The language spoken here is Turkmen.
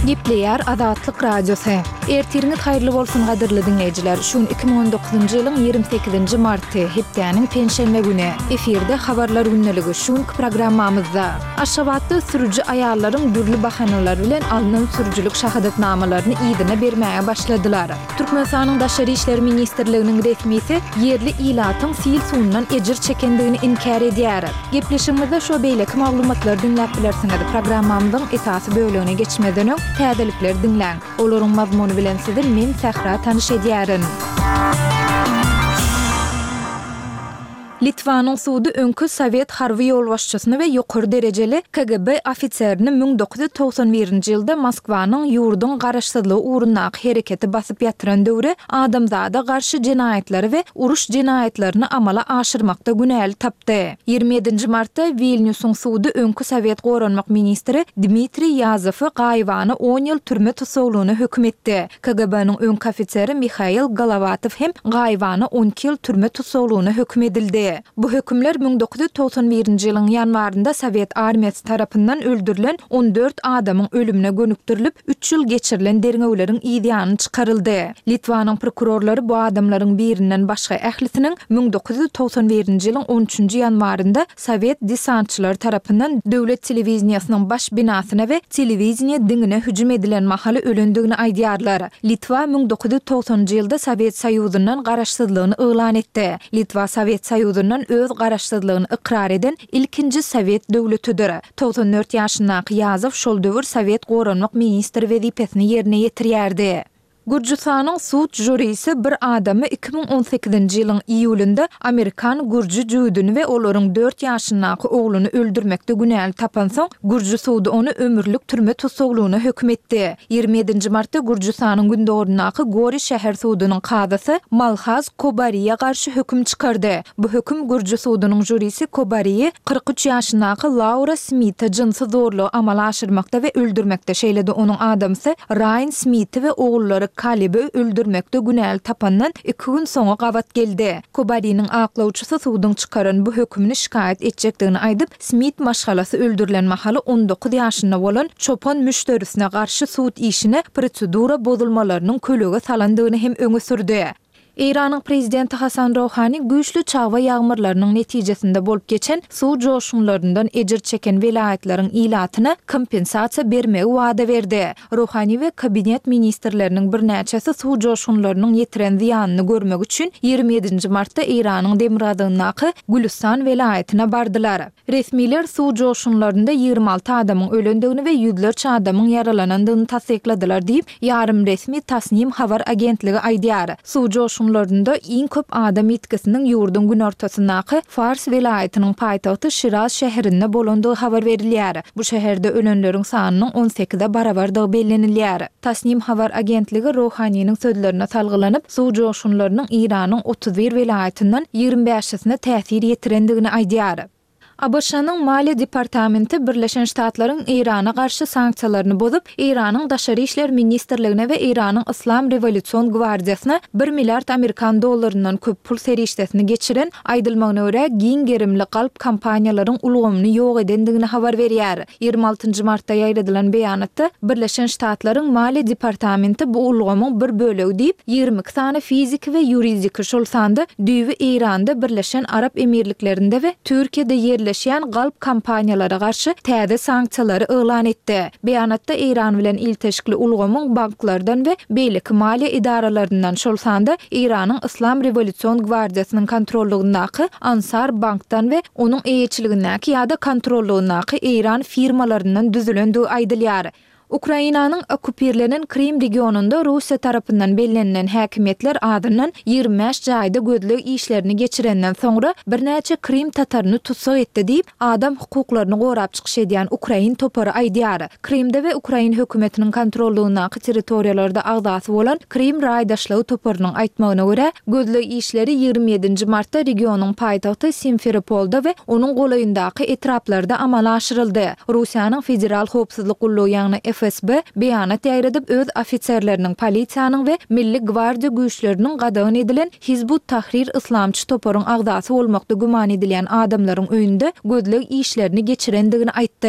Gepleýär Azatlyk Radiosy. Ertiriňiz haýyrly bolsun gadyrly diňleýjiler. Şu gün 2019-njy ýylyň 28-nji marty, hepdäniň penşenbe güni. Efirde Habarlar gündeligi şu günki programmamyzda. Aşgabatda sürüji aýallaryň dürli bahanalar bilen alnan sürüjilik şahadatnamalaryny yzyna bermäge başladylar. Türkmenistanyň Daşary işler ministrliginiň resmisi ýerli ilatyň sil suwundan ejir çekendigini inkär edýär. Gepleşigimizde şu we beýleki maglumatlary diňläp bilersiňiz. Programmamyzyň esasy bölegine geçmezden öň, täzelikleri diňläň. Olaryň mazmuny bilen sizi men Sähra tanyş edýärin. Litwanyň sudy öňki sowet harby ýolbaşçysyny we ýokary derejeli KGB ofiserini 1991-nji ýylda Moskwanyň ýurduň garaşsyzlygy ugrundaky hereketi basyp ýatyran döwri adamzada garşy jenaýatlary we uruş jenaýatlaryny amala aşyrmakda günäli tapdy. 27-nji martda Wilnýusyň sudy öňki sowet goranmak ministri Dmitriý Ýazowy gaýybana on ýyl türme tussaglygyna höküm etdi. KGB-niň öňki ofiseri Mihail Golowatow hem gaýybana 12 ýyl türme tussaglygyna höküm edildi. Bu hökümler 1991-nji ýylyň ýanwarynda sowet armiýasy tarapyndan öldürilen 14 adamyň ölümine gönükdirilip, üç ýyl geçirilen derňewleriň yz ýany çykaryldy. Litwanyň prokurorlary bu adamlaryň birinden başga ählisiniň 1991-nji ýylyň on üçünji ýanwarynda sowet desantçylary tarapyndan döwlet telewideniýesiniň baş binasyna we telewideniýe diňine hüjüm edilen mahaly ölendigini aýdýarlar. Litwa 1990-njy ýylda Sowet Soýuzyndan garaşsyzlygyny yglan etdi. Litwa Sowet Soýuzyndan öz garaşsyzlygyny ykrar eden ilkinji sowet döwletidir. 94 ýaşyndaky Ýazow şol döwür sowet goranmak ministri wezipesini ýerine ýetirýärdi. Gürjüstanyň sud žurisi bir adamy 2018-nji ýylyň iýulynda amerikan gürji jübüdini we olaryň dört ýaşyndaky ogluny öldürmekde günäli tapansoň, gürji sudy ony ömürlik türme tussaglygyna höküm etdi. 27-nji martda Gürjüstanyň gündogaryndaky Gori şäher sudunyň kazysy Malhaz Kobariýa garşy höküm çykardy. Bu höküm gürji sudunyň žurisi Kobariýi 43 ýaşyndaky Laura Smite jynsy zorlugy amala aşyrmakda we öldürmekde, şeýle-de onuň adamsy Raýan Smiti we ogullary Kalebi öldürmekde günäli tapandan iki gün soňa gabat geldi. Kobariniň aklawçysy suduň çykaran bu hökümini şikaýat etjekdigini aýdyp, Smit maşgalasy öldürilen mahaly 19 ýaşynda bolan çopan müşderisine garşy sud işine prosedura bozulmalarynyň kölege salandygyny hem öňe sürdi. Eýranyň prezidenti Hasan Rohani güýçli çagba ýagmyrlarynyň netijesinde bolup geçen suw joşgunlaryndan ejir çeken welaýatlaryň ilatyna kompensasiýa bermegi wada berdi. Rohani we kabinet ministrleriniň birnäçesi suw joşgunlarynyň ýetiren zyýanyny görmek üçin 27-nji martda Eýranyň demirgazygyndaky Gülüstan welaýatyna bardylar. Resmiler suw joşgunlarynda 26 adamyň ölendigini we ýüzlerçe adamyň ýaralanandygyny tassykladylar diýip, ýarym resmi Tasnim habar agentligi aýdýar. Suw joşgunlarynda iň köp adam ýitgisiniň ýurduň günortasyndaky Fars welaýatynyň paýtagty Şiraz şäherinde bolandygy habar berilýär. Bu şäherde ölenleriň sanynyň on sekize barabardygy bellenilýär. Tasnim habar agentligi Rohaniniň sözlerine salgylanyp, suw joşgunlarynyň Eýranyň 31 welaýatyndan 25 bäşisine täsir ýetirendigini aýdýar. ABŞ-nyň Maliýe departamenti Birleşen Ştatlaryň Eýrana garşy sanksiýalaryny bozup, Eýranyň Daşary işler ministrligine we Eýranyň Yslam rewolýusion gwardiýasyna bir milliard amerikan dollaryndan köp pul serişdesini geçiren, aýdylmagyna görä, giň gerimli galp kompaniýalaryň ulgamyny ýok edendigini habar berýär. 26 nji martda ýaýradylan beýanatda, Birleşen Ştatlaryň Maliýe departamenti bu ulgamyň bir bölegi diýip, 22 sany fiziki we ýuridiki, şol sanda düýbi Eýranda, Birleşen Arap Emirliklerinde we Türkiýede ýerleşýän galp kompaniýalara garşy täze sanksiýalary yglan etdi. Beýanatda Eýran bilen ilteşikli ulgamyň banklardan we beýleki maliýe edaralaryndan, şol sanda Eýranyň Yslam rewolýusion gwardiýasynyň kontrollygyndaky Ansar Bankdan we onuň eýeçiligindäki ýa-da kontrollygyndaky eýran firmalaryndan düzülendigi aýdylýar. Ukrainanyň okkupirlenen Krym regionynda Russiýa tarapyndan bellenilen häkimiýetler azyndan 25 jaýda gözleg işlerini geçirenden soňra birnäçe krym tataryny tussag etdi diýip, adam hukuklaryny gorap çykyş edýän ukrain topary aýdýar. Krymda we ukrain hökümetiniň kontrollygyndaky territoriýalarda agzasy bolan Krym raýdaşlygy toparynyň aýtmagyna görä, gözleg işleri 27-nji martda regionyň paýtagty Simferopolda we onuň golaýyndaky etraplarda amala aşyryldy. Russiýanyň Federal howpsuzlyk gullugy ýagny FSB beýanat ýaýradyp, öz ofiserleriniň, polisiýanyň we Milli gwardiýa güýçleriniň gadagan edilen Hizb ut-Tahrir yslamçy toparyň agzasy bolmakda güman edilýän adamlaryň öýünde gözleg işlerini geçirendigini aýtdy.